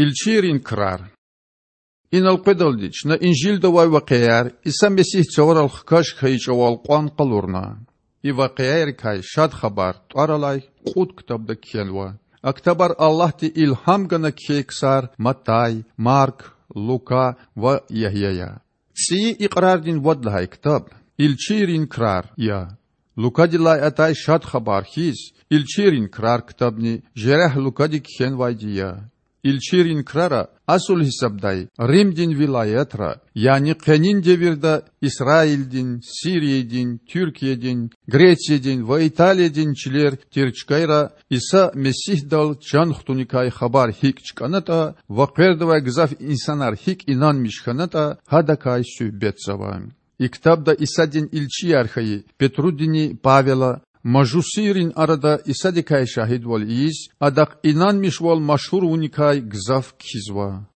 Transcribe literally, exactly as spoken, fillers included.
Илчийрин крар. Инал къведалди чна Инжилда авай вакъиаяр, Иса Месигь цаварал хкаж хьайи чІавал кьван къалурна. И вакъиаярикай Шад Хабар тІвар алай кьуд ктабда кхьенва. А ктабар Аллагьди илгьам гана кхьей ксар Матай, Марк, Лука ва Ягья я. ЦІийи Икьрардин вад лагьай ктаб Илчийрин крар я. Лукадилай атай Шад Хабар хьиз, Илчийрин крар ктабни жерягь Лукади кхьенвайди я. Илчийрин крара, асул гьисабдай, Римдин вилаятра, яни къенин девирда Исраилдин, Сириядин, Туьркиядин, Грециядин ва Италиядин чилер тир чкайра, Иса Месигьдал чан хтуникай хабар гьикІ чкІанатІа ва къвердавай гзаф инсанар гьикІ инанмиш хьанатІа, гьадакай суьгьбетзава. И ктабда Исадин илчияр хьайи Петрудини Павела мажусийрин арада Исадикай шагьидвал ийиз, Адахъ инанмишвал машгьур авуникай гзаф кхьизва.